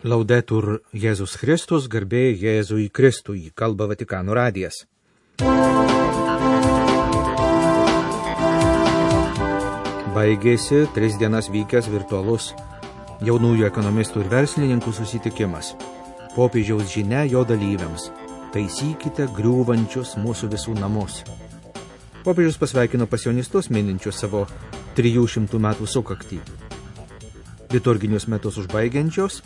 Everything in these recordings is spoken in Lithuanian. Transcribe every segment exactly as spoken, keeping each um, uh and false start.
Laudetur Jėzus Kristus, garbė Jėzui Kristui, kalba Vatikano radijas. Baigėsi tris dienas vykęs virtualus jaunųjų ekonomistų ir verslininkų susitikimas. Popiežiaus žinia jo dalyviams: taisykite griūvančius mūsų visų namus. Popiežius pasveikino pasionistus mininčius savo trijų šimtų metų sukaktį. Liturginius metus užbaigiančios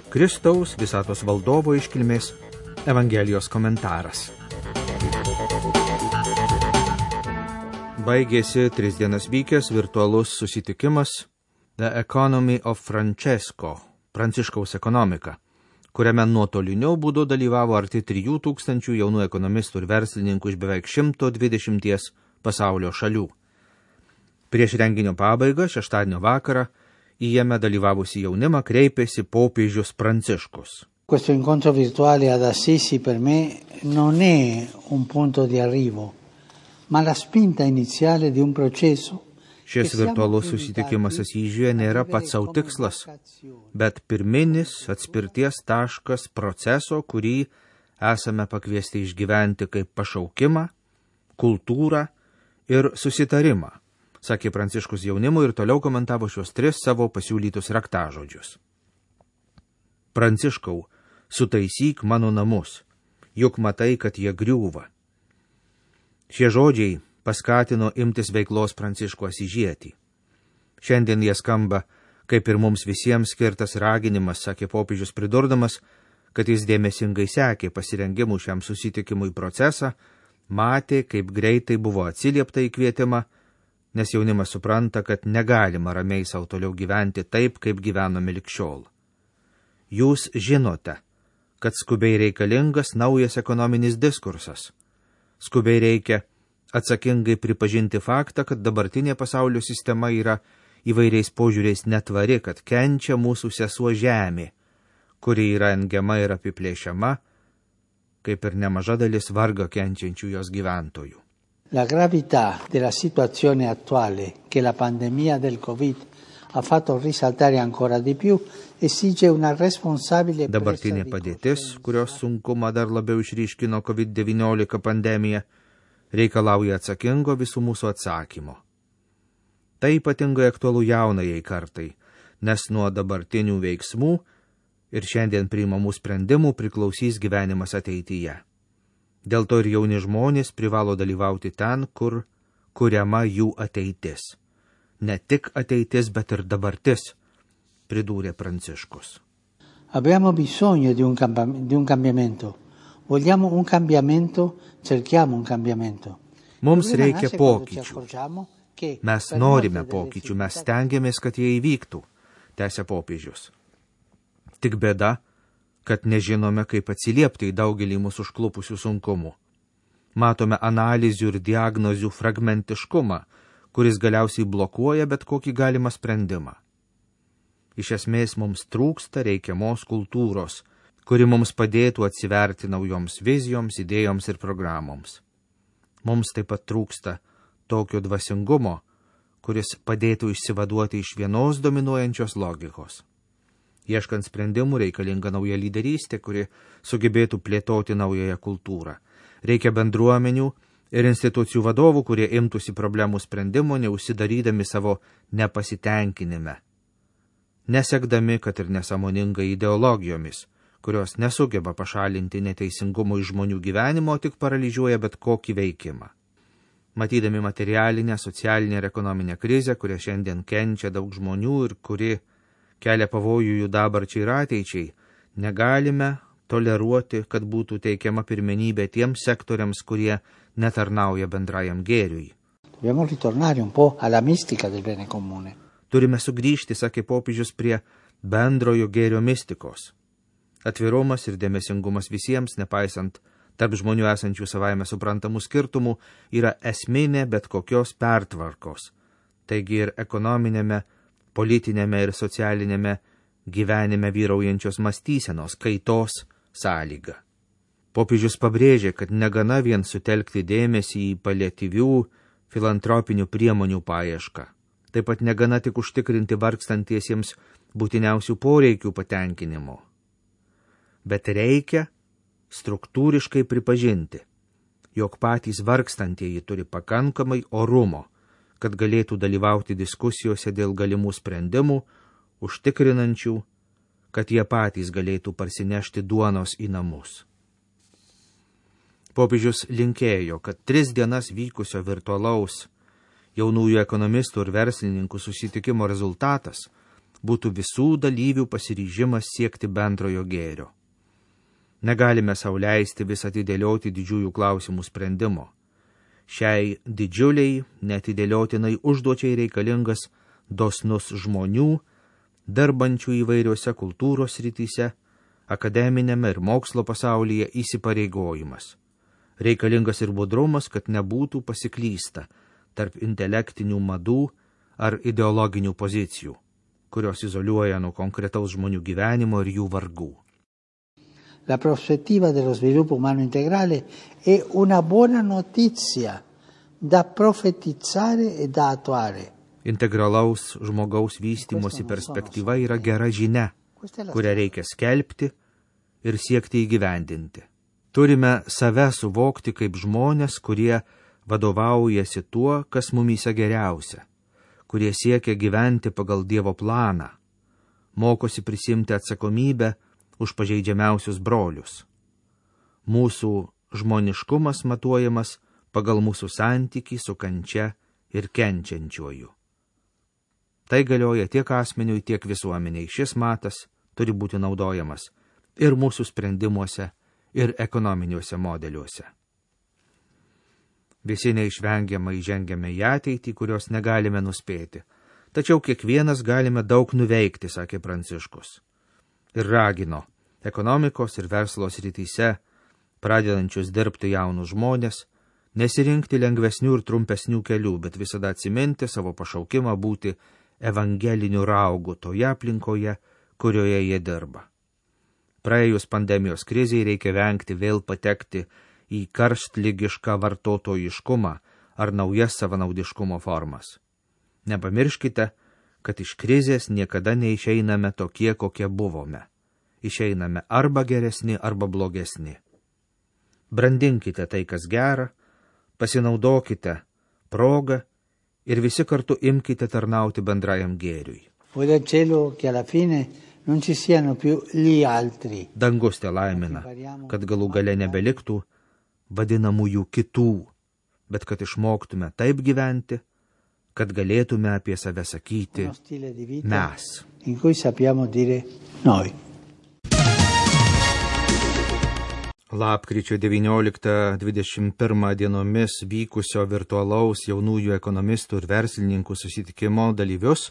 Kristaus visatos valdovo iškilmės Evangelijos komentaras. Baigėsi tris dienas vykęs virtualus susitikimas The Economy of Francesco, Pranciškaus ekonomika, kuriame nuotoliniu būdu dalyvavo arti trijų tūkstančių jaunų ekonomistų ir verslininkų iš beveik šimto dvidešimties pasaulio šalių. Prieš renginio pabaigą, šeštadienio vakarą, į jame dalyvavusi jaunimą kreipėsi popiežius Pranciškus. Questo incontro virtuale ad Assisi per me non è un punto di arrivo, ma la spinta iniziale di un processo. Šis virtualus susitikimas Asyžiuje nėra pats savo tikslas, bet pirminis atspirties taškas proceso, kurį esame pakviesti išgyventi kaip pašaukimą, kultūrą ir susitarimą, sakė Pranciškus jaunimui ir toliau komentavo šios tris savo pasiūlytus raktažodžius. Pranciškau, sutaisyk mano namus, juk matai, kad jie griūva. Šie žodžiai paskatino imtis veiklos Pranciškų Asyžietį. Šiandien jie skamba kaip ir mums visiems skirtas raginimas, sakė popiežius pridurdamas, kad jis dėmesingai sekė pasirengimų šiam susitikimui procesą, matė, kaip greitai buvo atsiliepta į kvietimą, nes jaunimas supranta, kad negalima ramiai savo toliau gyventi taip, kaip gyvenome lig šiol. Jūs žinote, kad skubiai reikalingas naujas ekonominis diskursas. Skubiai reikia atsakingai pripažinti faktą, kad dabartinė pasaulio sistema yra įvairiais požiūriais netvari, kad kenčia mūsų sesuo žemė, kuri yra engiama ir apiplėšiama, kaip ir nemaža dalis vargo kenčiančių jos gyventojų. La gravità della situazione attuale che la pandemia del Covid ha fatto risaltare ancora di più esige una responsabile. Dabartinė padėtis, kurios sunkumą dar labiau išryškino kovid devyniolika pandemija, reikalauja atsakingo visų mūsų atsakymo. Tai ypatingai aktualu jaunajai kartai, nes nuo dabartinių veiksmų ir šiandien priimamų sprendimų priklausys gyvenimas ateityje. Dėl to ir jauni žmonės privalo dalyvauti ten, kur kuriama jų ateitis. Ne tik ateitis, bet ir dabartis, pridūrė Pranciškus. Abbiamo bisogno di un, cambi- di un cambiamento. Vogliamo un cambiamento, cerchiamo un cambiamento. Mums reikia pokyčių. Mes norime pokyčių, mes stengiamės, kad jie įvyktų, tęsė popiežius. Tik bėda, kad nežinome, kaip atsiliepti į daugelį mūsų užklupusių sunkumų. Matome analizių ir diagnozių fragmentiškumą, kuris galiausiai blokuoja bet kokį galimą sprendimą. Iš esmės mums trūksta reikiamos kultūros, kuri mums padėtų atsiverti naujoms vizijoms, idėjoms ir programoms. Mums taip pat trūksta tokio dvasingumo, kuris padėtų išsivaduoti iš vienos dominuojančios logikos. Ieškant sprendimų reikalinga nauja lyderystė, kuri sugebėtų plėtoti naująją kultūrą. Reikia bendruomenių ir institucijų vadovų, kurie imtųsi problemų sprendimo, neužsidarydami savo nepasitenkinime, nesekdami, kad ir nesąmoningai ideologijomis, kurios nesugeba pašalinti neteisingumo iš žmonių gyvenimo, tik paralyžiuoja bet kokį veikimą. Matydami materialinę, socialinę ir ekonominę krizę, kurią šiandien kenčia daug žmonių ir kuri kelia pavojų jų dabarčiai ir ateičiai, negalime toleruoti, kad būtų teikiama pirmenybė tiems sektoriams, kurie netarnauja bendrajam gėriui. Turime sugrįžti, sakė popiežius, prie bendrojo gėrio mistikos. Atvirumas ir dėmesingumas visiems, nepaisant tarp žmonių esančių savaime suprantamų skirtumų, yra esminė bet kokios pertvarkos. Taigi ir ekonominėme, politinėme ir socialinėme gyvenime vyraujančios mąstysenos kaitos sąlyga. Popiežius pabrėžė, kad negana vien sutelkti dėmesį į paliatyvių filantropinių priemonių paiešką. Taip pat negana tik užtikrinti vargstantiesiems būtiniausių poreikių patenkinimo. Bet reikia struktūriškai pripažinti, jog patys vargstantieji turi pakankamai orumo, kad galėtų dalyvauti diskusijose dėl galimų sprendimų, užtikrinančių, kad jie patys galėtų parsinešti duonos į namus. Popiežius linkėjo, kad tris dienas vykusio virtualaus jaunųjų ekonomistų ir verslininkų susitikimo rezultatas būtų visų dalyvių pasiryžimas siekti bendrojo gėrio. Negalime sau leisti vis atidėlioti didžiųjų klausimų sprendimo. Šiai didžiuliai, netidėliotinai užduočiai reikalingas dosnus žmonių, darbančių įvairiuose kultūros srityse, akademinėme ir mokslo pasaulyje įsipareigojimas. Reikalingas ir budrumas, kad nebūtų pasiklysta tarp intelektinių madų ar ideologinių pozicijų, kurios izoliuoja nuo konkretaus žmonių gyvenimo ir jų vargų. La prospettiva dello sviluppo umano integrale è una buona notizia da profetizzare e da attuare. Integralaus žmogaus vystymosi perspektyva yra gera žinia, kurią reikia skelbti ir siekti įgyvendinti. Turime save suvokti kaip žmonės, kurie vadovaujasi tuo, kas mumyse geriausia, kurie siekia gyventi pagal Dievo planą, mokosi prisimti atsakomybę už pažeidžiamiausius brolius. Mūsų žmoniškumas matuojamas pagal mūsų santykį su kančia ir kenčiančiuoju. Tai galioja tiek asmeniui, tiek visuomeniai. Šis matas turi būti naudojamas ir mūsų sprendimuose, ir ekonominiuose modeliuose. Visi neišvengiamai žengiame į ateitį, kurios negalime nuspėti. Tačiau kiekvienas galime daug nuveikti, sakė Pranciškus. Ir ragino ekonomikos ir verslo srityse, pradedančius dirbti jaunus žmonės, nesirinkti lengvesnių ir trumpesnių kelių, bet visada atsiminti savo pašaukimą būti evangeliniu raugu toje aplinkoje, kurioje jie dirba. Praėjus pandemijos krizei reikia vengti vėl patekti į karštligišką vartotojiškumą ar naujas savanaudiškumo formas. Nepamirškite, kad iš krizės niekada neišeiname tokie, kokie buvome. Išeiname arba geresni, arba blogesni. Brandinkite tai, kas gera, pasinaudokite progą ir visi kartu imkite tarnauti bendrajam gėriui. Dangus te laimina, kad galų gale nebeliktų vadinamųjų kitų, bet kad išmoktume taip gyventi, kad galėtume apie save sakyti mes. Lapkričio devynioliktą dvidešimt pirmą dienomis vykusio virtualaus jaunųjų ekonomistų ir verslininkų susitikimo dalyvius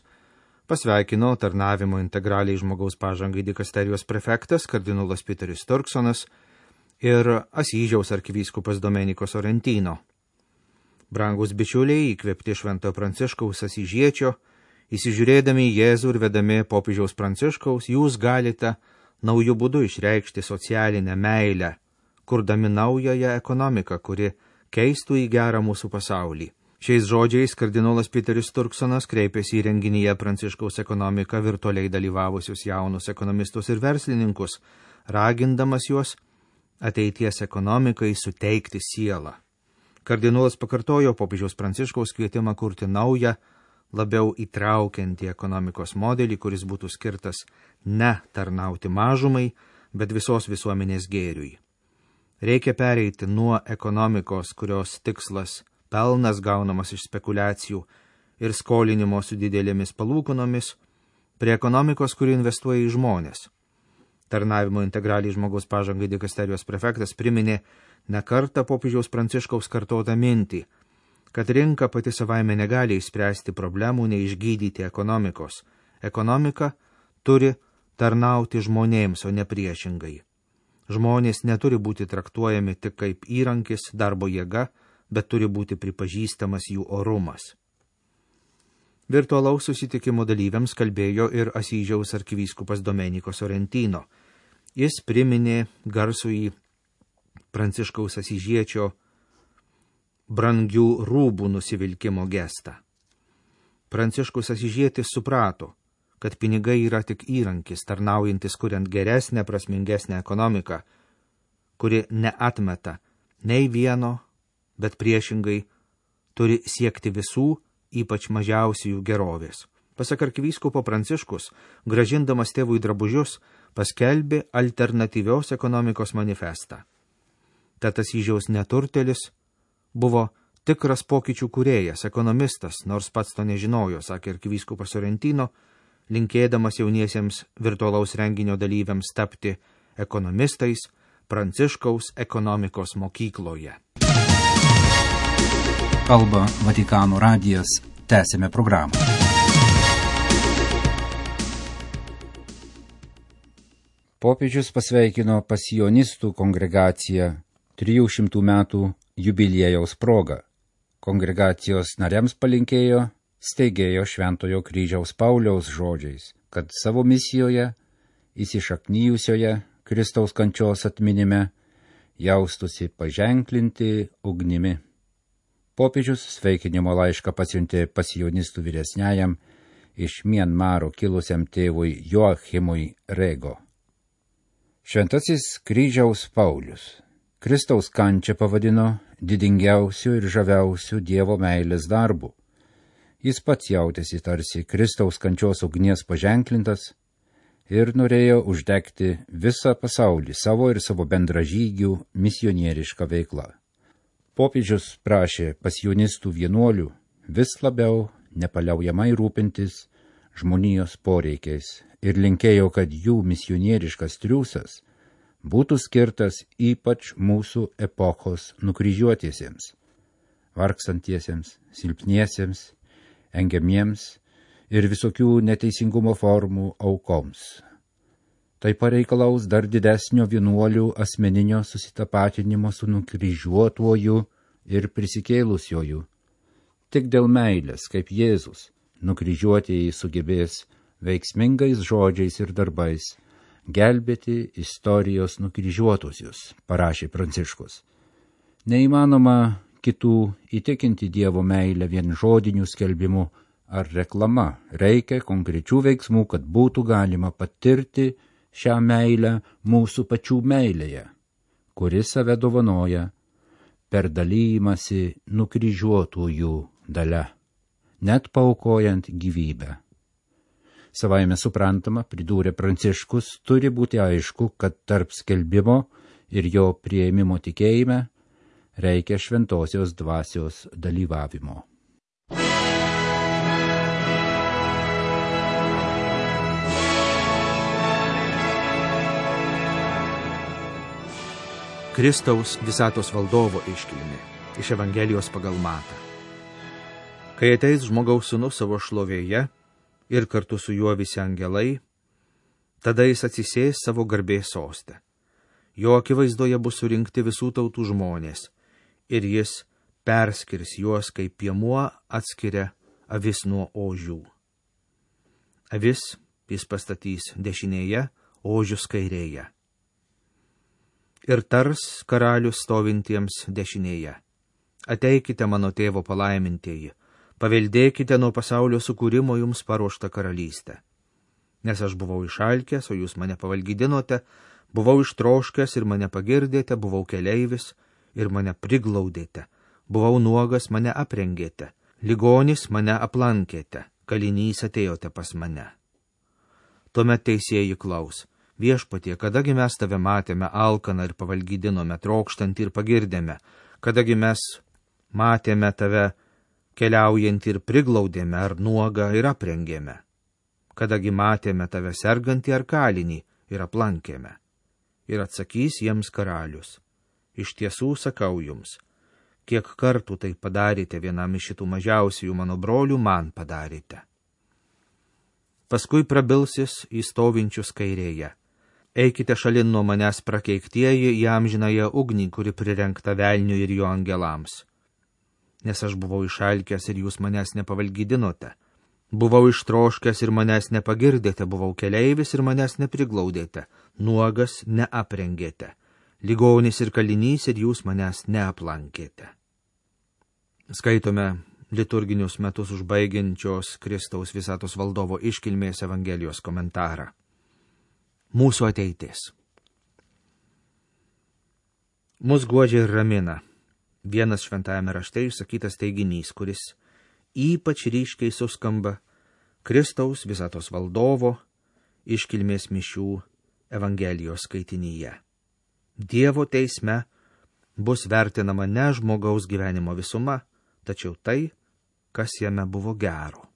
pasveikino tarnavimo integraliai žmogaus pažangai dikasterijos prefektas kardinolas Piteris Turksonas ir Asyžiaus arkivyskupas Domenico Sorrentino. Brangus bičiuliai, įkvėpti Šventojo Pranciškaus Asyžiečio, įsižiūrėdami į Jėzų ir vedami popiežiaus Pranciškaus, jūs galite naujų būdų išreikšti socialinę meilę, kurdami naująją ekonomiką, kuri keistų į gerą mūsų pasaulį. Šiais žodžiais kardinolas Piteris Turksonas kreipėsi į renginyje Pranciškaus ekonomiką virtualiai dalyvavusius jaunus ekonomistus ir verslininkus, ragindamas juos ateities ekonomikai suteikti sielą. Kardinolas pakartojo popiežiaus Pranciškaus kvietimą kurti naują, labiau įtraukiantį ekonomikos modelį, kuris būtų skirtas ne tarnauti mažumai, bet visos visuomenės gėriui. Reikia pereiti nuo ekonomikos, kurios tikslas pelnas gaunamas iš spekulacijų ir skolinimo su didelėmis palūkanomis, prie ekonomikos, kuri investuoja į žmonės. Tarnavimo integraliai žmogaus pažangai dikasterijos prefektas priminė ne kartą popiežiaus Pranciškaus kartotą mintį, kad rinka pati savaime negali išspręsti problemų, neišgydyti ekonomikos. Ekonomika turi tarnauti žmonėms, o ne priešingai. Žmonės neturi būti traktuojami tik kaip įrankis, darbo jėga, bet turi būti pripažįstamas jų orumas. Virtualaus susitikimo dalyviams kalbėjo ir Asyžiaus arkivyskupas Domenico Sorrentino. Jis priminė garsųjį Pranciškaus Asyžiečio brangių rūbų nusivilkimo gestą. Pranciškus Asyžietis suprato, kad pinigai yra tik įrankis, tarnaujantis kuriant geresnę, prasmingesnę ekonomiką, kuri neatmeta nei vieno, bet priešingai turi siekti visų, ypač mažiausiųjų gerovės. Pasak arkivyskupo Pranciškus, grąžindamas tėvui drabužius, paskelbė alternatyvios ekonomikos manifestą. Tad Asyžiaus neturtelis buvo tikras pokyčių kūrėjas, ekonomistas, nors pats to nežinojo, sakė arkivyskupas Sorrentino, linkėdamas jauniesiems virtualaus renginio dalyviams tapti ekonomistais Pranciškaus ekonomikos mokykloje. Kalba Vatikano radijas, tęsime programą. Popiežius pasveikino pasijonistų kongregaciją trijų šimtų metų jubiliejaus proga. Kongregacijos nariams palinkėjo steigėjo Šventojo kryžiaus Pauliaus žodžiais, kad savo misijoje, įsišaknyjusioje Kristaus kančios atminime, jaustusi paženklinti ugnimi. Popiežius sveikinimo laišką pasiuntė pasijonistų vyresniajam iš Mianmaro kilusiam tėvui Joachimui Rego. Šventasis kryžiaus Paulius Kristaus kančią pavadino didingiausiu ir žaviausiu Dievo meilės darbu. Jis pats jautėsi tarsi Kristaus kančios ugnies paženklintas ir norėjo uždegti visą pasaulį savo ir savo bendražygių misionierišką veiklą. Popiežius prašė pasijonistų vienuolių vis labiau nepaliaujamai rūpintis žmonijos poreikiais ir linkėjo, kad jų misionieriškas triūsas būtų skirtas ypač mūsų epochos nukryžiuotiesiems, vargstantiesiems, silpniesiems, engiamiems ir visokių neteisingumo formų aukoms. Tai pareikalaus dar didesnio vienuolių asmeninio susitapatinimo su nukryžiuotuoju ir prisikėlusiuoju. Tik dėl meilės, kaip Jėzus, nukryžiuotieji sugebės veiksmingais žodžiais ir darbais gelbėti istorijos nukryžiuotusius, parašė Pranciškus. Neįmanoma kitų įtikinti Dievo meilę vien žodinių skelbimų ar reklama. Reikia konkrečių veiksmų, kad būtų galima patirti šią meilę mūsų pačių meilėje, kuri save dovanoja per dalymasi nukryžiuotųjų dalia, net paaukojant gyvybę. Savaime suprantama, pridūrė Pranciškus, turi būti aišku, kad tarp skelbimo ir jo priėmimo tikėjime reikia šventosios dvasios dalyvavimo. Kristaus visatos valdovo iškilmė iš Evangelijos pagal Matą. Kai ateis žmogaus sūnus savo šlovėje ir kartu su juo visi angelai, tada jis atsisės savo garbės soste. Jo akivaizdoje bus surinkti visų tautų žmonės ir jis perskirs juos, kaip piemuo atskiria avis nuo ožių. Avis jis pastatys dešinėje, ožius kairėje. Ir tars karalius stovintiems dešinėje. Ateikite mano tėvo palaimintieji, paveldėkite nuo pasaulio sukūrimo jums paruoštą karalystę. Nes aš buvau išalkęs, o jūs mane pavalgydinote, buvau ištroškęs ir mane pagirdėte, buvau keleivis ir mane priglaudėte, buvau nuogas, mane aprengėte, ligonis mane aplankėte, kalinys atėjote pas mane. Tuomet teisėjai klaus: Viešpatie, kadagi mes tave matėme alkaną ir pavalgydinome, trokštantį ir pagirdėme, kadagi mes matėme tave keliaujantį ir priglaudėme, ar nuogą ir aprengėme, kadagi matėme tave sergantį ar kalinį ir aplankėme. Ir atsakys jiems karalius: iš tiesų sakau jums, kiek kartų tai padarėte vienam iš šitų mažiausiųjų mano brolių, man padarėte. Paskui prabilsis į stovinčius kairėje: eikite šalin nuo manęs prakeiktieji į amžinąją ugnį, kuri prirengta velniui ir jo angelams. Nes aš buvau išalkęs ir jūs manęs nepavalgydinote, buvau ištroškęs ir manęs nepagirdėte, buvau keleivis ir manęs nepriglaudėte, nuogas neaprengėte, ligonis ir kalinys ir jūs manęs neaplankėte. Skaitome liturginius metus užbaigiančios Kristaus visatos valdovo iškilmės Evangelijos komentarą. Mūsų ateitis. Mus guodžia ir ramina vienas šventajame rašte išsakytas teiginys, kuris ypač ryškiai suskamba Kristaus visatos valdovo iškilmės mišių Evangelijos skaitinyje. Dievo teisme bus vertinama ne žmogaus gyvenimo visuma, tačiau tai, kas jame buvo gero.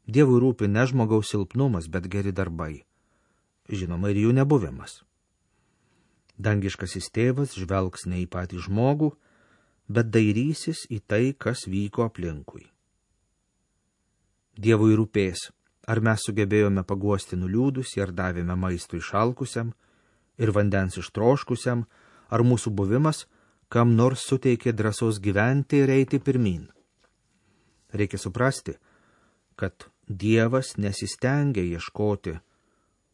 Dievui rūpi ne žmogaus silpnumas, bet geri darbai. Žinoma, ir jų nebuvimas. Dangiškasis tėvas žvelgs ne į patį žmogų, bet dairysis į tai, kas vyko aplinkui. Dievui rūpės, ar mes sugebėjome paguosti nuliūdusį, ar davėme maistų išalkusiam ir vandens ištroškusiam, ar mūsų buvimas kam nors suteikė drąsos gyventi ir eiti pirmin. Reikia suprasti, kad Dievas nesistengia ieškoti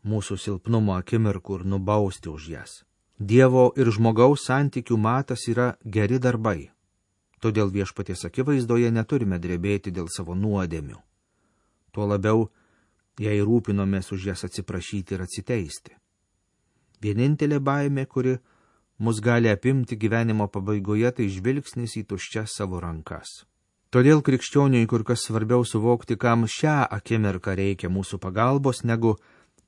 mūsų silpnumo akimirkų ir nubausti už jas. Dievo ir žmogaus santykių matas yra geri darbai. Todėl viešpaties akivaizdoje neturime drebėti dėl savo nuodėmių. Tuo labiau, jei rūpinomės už jas atsiprašyti ir atsiteisti. Vienintelė baimė, kuri mus gali apimti gyvenimo pabaigoje, tai žvilgsnis į tuščias savo rankas. Todėl krikščioniui kur kas svarbiau suvokti, kam šią akimirką reikia mūsų pagalbos, negu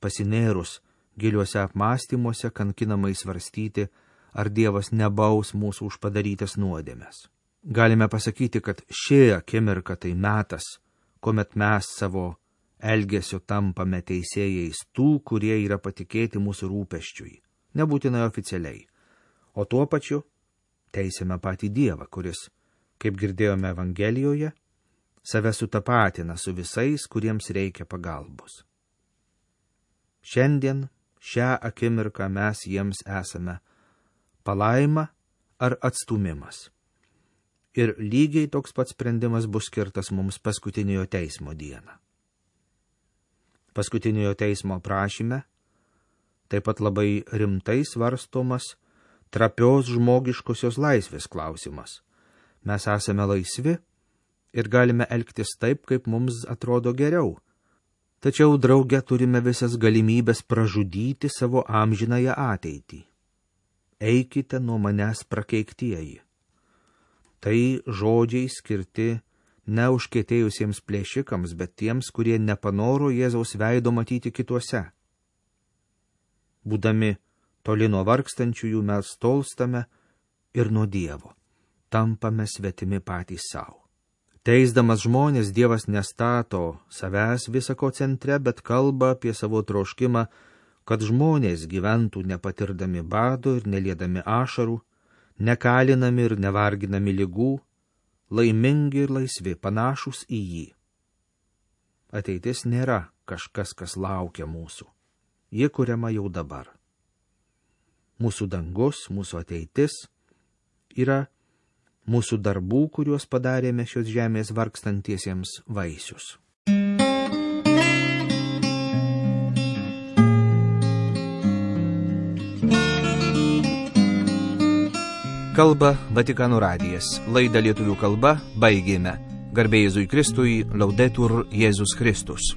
pasinėrus giliuose apmąstymuose kankinamai svarstyti, ar Dievas nebaus mūsų už padarytas nuodėmes. Galime pasakyti, kad ši akimirka tai metas, kuomet mes savo elgesio tampame teisėjais tų, kurie yra patikėti mūsų rūpesčiui, nebūtinai oficialiai, o tuo pačiu teisime patį Dievą, kuris, kaip girdėjome Evangelijoje, save sutapatina su visais, kuriems reikia pagalbos. Šiandien, šią akimirką mes jiems esame palaima ar atstumimas. Ir lygiai toks pats sprendimas bus skirtas mums paskutiniojo teismo dieną. Paskutiniojo teismo prašyme taip pat labai rimtai svarstomas trapios žmogiškosios laisvės klausimas. Mes esame laisvi ir galime elgtis taip, kaip mums atrodo geriau. Tačiau drauge turime visas galimybės pražudyti savo amžinąją ateitį. Eikite nuo manęs prakeiktieji. Tai žodžiai skirti ne užkietėjusiems plėšikams, bet tiems, kurie nepanoro Jėzaus veido matyti kituose. Būdami toli nuo vargstančiųjų mes tolstame ir nuo Dievo, tampame svetimi patys savo. Teisdamas žmonės, Dievas nestato savęs visako centre, bet kalba apie savo troškimą, kad žmonės gyventų nepatirdami bado ir neliedami ašarų, nekalinami ir nevarginami ligų, laimingi ir laisvi, panašus į jį. Ateitis nėra kažkas, kas laukia mūsų. Ji kuriama jau dabar. Mūsų dangus, mūsų ateitis yra mūsų darbų, kuriuos padarėme šios žemės vargstantiesiems vaisius. Kalba Vatikano radijas. Laidą lietuvių kalba baigėme. Garbė Jėzui Kristui, Laudetur Jėzus Kristus.